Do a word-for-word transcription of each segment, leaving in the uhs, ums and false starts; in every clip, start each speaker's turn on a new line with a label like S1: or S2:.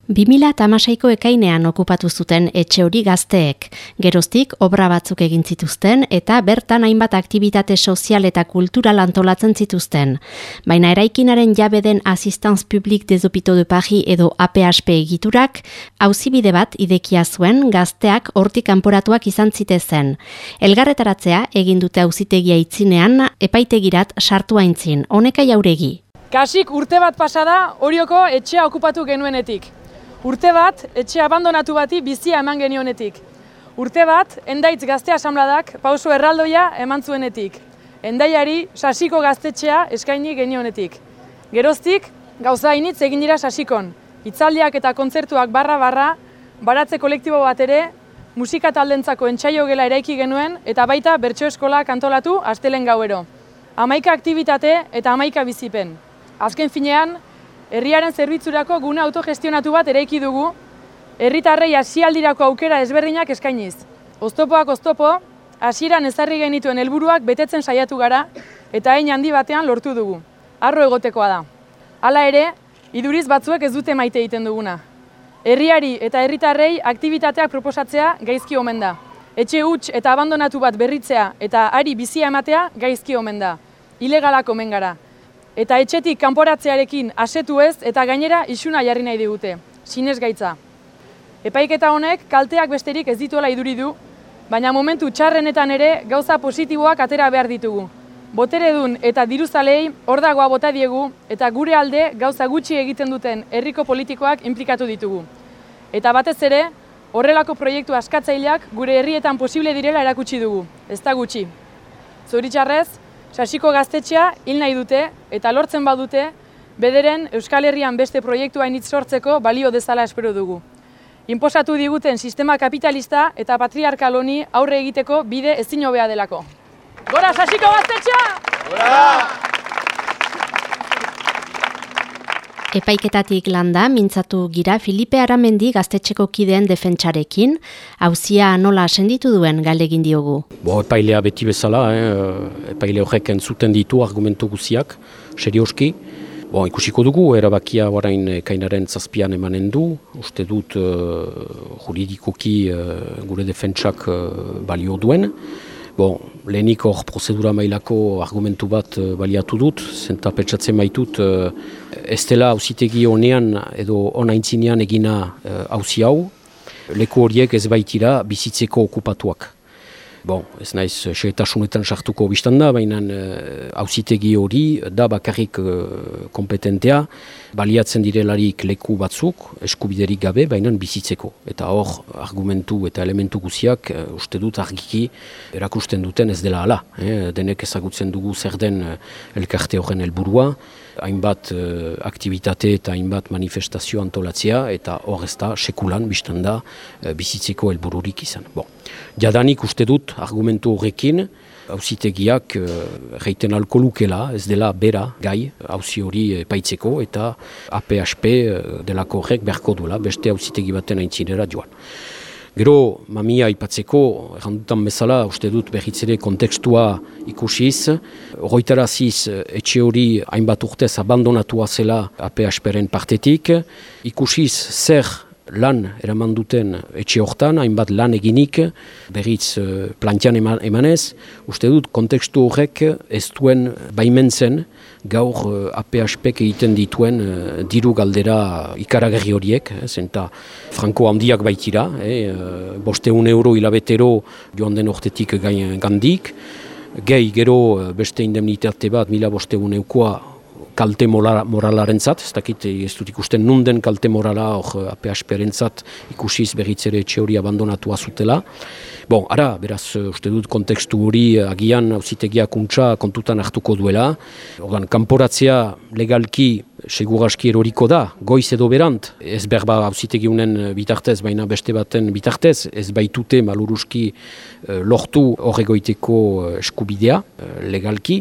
S1: bi mila hamaseiko ekainean okupatu zuten etxe hori gazteek. Geroztik obra batzuk egin zituzten eta bertan hainbat aktibitate sozial eta kultural antolatzen zituzten. Baina eraikinaren jabe den Assistance Publique des Hôpitaux de Paris edo A P H P egiturak auzibide bat idekia zuen gazteak hortik kanporatuak izan zitezen. Elgarretaratzea egin dute auzitegia itzinean epaitegirat sartu aintzin. Honeka Jauregi.
S2: Kasik urte bat pasada Orioko etxea okupatu genuenetik. Urte bat, etxe abandonatu bati bizia eman genionetik. Urte bat, Endaitz Gazte Asanbladak pauso erraldoia eman zuenetik. Endaiari Sasiko gaztetxea eskaini genionetik. Geroztik, gauza initz egin dira Sasikon. Hitzaldiak eta kontzertuak barra-barra, baratze kolektibo bat ere, musika taldentzako entsaio gela eraiki genuen eta baita bertso eskola kantolatu astelen gauero. Hamaika aktibitate eta hamaika bizipen. Azken finean, herriaren zerbitzurako gune autogestionatu bat eraiki dugu, herritarrei hasialdirako aukera ezberdinak eskainiz. Oztopoak oztopo, hasieran ezarri genituen helburuak betetzen saiatu gara eta hein handi batean lortu dugu. Harro egotekoa da. Hala ere, iduriz batzuek ez dute maite egiten duguna. Herriari eta herritarrei aktibitateak proposatzea gaizki omen da. Etxe huts eta abandonatu bat berritzea eta hari bizia ematea gaizki omen da. Ilegalak omen gara. Eta etxetik kanporatzearekin asetu ez eta gainera isuna jarri nahi digute, sinesgaitza. Epaiketa honek kalteak besterik ez dituela iduri du, baina momentu txarrenetan ere gauza positiboak atera behar ditugu. Boteredun eta diruzalei ordagoa bota diegu eta gure alde gauza gutxi egiten duten herriko politikoak inplikatu ditugu. Eta batez ere, horrelako proiektu askatzaileak gure herrietan posible direla erakutsi dugu, ez da gutxi. Zoritxarrez, Sasiko gaztetxea hil nahi dute eta lortzen badute, bederen Euskal Herrian beste proiektu hainitz sortzeko balio dezala espero dugu. Inposatu diguten sistema kapitalista eta patriarkal honi aurre egiteko bide ezin hobea delako. Gora Sasiko gaztetxea! Gora!
S1: Epaiketatik landa mintzatu gira Filipe Aramendi gaztetxeko kideen defentsarekin, auzia nola senditu duen galdegin diogu.
S3: Bo, epailea beti bezala, eh, epaile horrek entzuten ditu argumentu guziak, serioski. Bo, ikusiko dugu, erabakia orain ekainaren zazpian emanen du, uste dut uh, juridikoki uh, gure defentsak uh, balio duen. Bon, lehenik hor prozedura mailako argumentu bat uh, baliatu dut, zenta petsatzen maitut uh, ez dela auzitegi honean edo onaintzinean egina auzi uh, hau, leku horiek ez baitira bizitzeko okupatuak. Bon, ez naiz xehetasunetan sartuko biztan da, baina auzitegi uh, hori da bakarrik uh, kompetentea, baliatzen direlarik leku batzuk, eskubiderik gabe, baina bizitzeko. Eta hor, argumentu eta elementu guziak, uh, uste dut argiki erakusten duten ez dela hala. Eh? Denek ezagutzen dugu zer den uh, elkarte horren helburua, hainbat uh, aktivitate eta hainbat manifestazio antolatzea, eta hor ez da sekulan biztan da uh, bizitzeko helbururik izan. Bon. Jadanik uste dut argumentu horrekin, auzitegiak erraiten uh, alko lukela, ez dela bera gai auzi hori epaitzeko eta A P H P uh, delako horrek beharko duela, beste auzitegi baten aintzinera joan. Gero, mamia aipatzeko, errandutan bezala, uste dut berritzere kontekstua ikusiz, horretaraziz etxe hori hainbat urtez abandonatua zela A P H P-ren partetik, ikusiz zer lan eraman duten etxe hortan, hainbat lan eginik, berriz uh, plantian eman, emanez, uste dut kontekstu horrek ez duen baimentzen gaur uh, A P H P-k egiten dituen uh, diru galdera ikaragarri horiek, eh, zenta franko handiak baitira, eh, uh, bosteun euro hilabetero joan den ortetik gain, gandik, gehi gero beste indemnitate bat mila bosteun eukoa kalte moralaren zat, ez dakit ez dut ikusten nunden kalte morala hor A P H P-ren zat ikusiz berritzere etxe hori abandonatua zutela. Bon, ara, beraz, uste dut kontekstu hori agian auzitegiak untsa kontutan hartuko duela. Ordan, kanporatzea legalki seguraski eroriko da, goiz edo berant, ez berba auzitegi unen bitartez, baina beste baten bitartez, ez baitute maluruski lortu horregoiteko eskubidea legalki.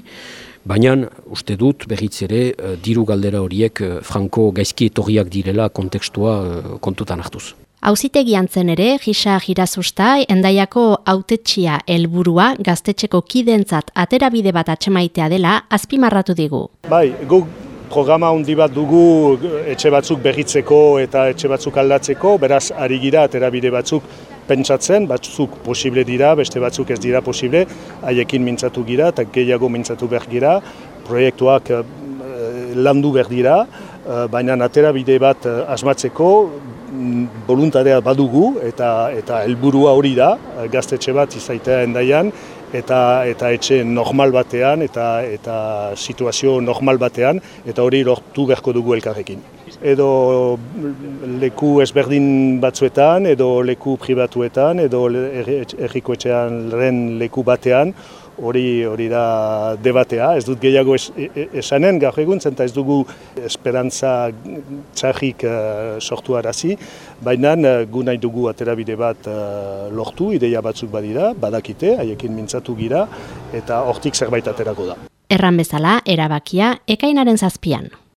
S3: Baina, uste dut, berriz ere, uh, diru galdera horiek uh, franko gaizki etorriak direla kontekstua uh, kontutan hartuz.
S1: Auzitegian zen ere, Gisa Girazusta, Endaiako hautetxia helburua gaztetxeko kidentzat aterabide bat atxemaitea dela azpimarratu digu.
S4: Bai, guk programa handi bat dugu etxe batzuk berritzeko eta etxe batzuk aldatzeko, beraz ari gira aterabide batzuk pentsatzen, batzuk posible dira, beste batzuk ez dira posible, haiekin mintzatu gira eta gehiago mintzatu behar gira, proiektuak eh, landu behar dira, eh, baina aterabide bat eh, asmatzeko boluntadea badugu eta eta helburua hori da, gaztetxe bat izaitea Hendaian, eta eta etxe normal batean eta eta situazio normal batean, eta hori lortu beharko dugu elkarrekin. Edo leku ezberdin batzuetan, edo leku pribatuetan, edo herriko etxean leku batean, hori hori da debatea. Ez dut gehiago es, esanen gaur egun, zenta ez dugu esperantza txarrik uh, sortu arazi, baina uh, gu nahi dugu aterabide bat uh, lortu, ideia batzuk badira, badakite, haiekin mintzatu gira, eta hortik zerbait aterako da.
S1: Erran bezala, erabakia ekainaren zazpian.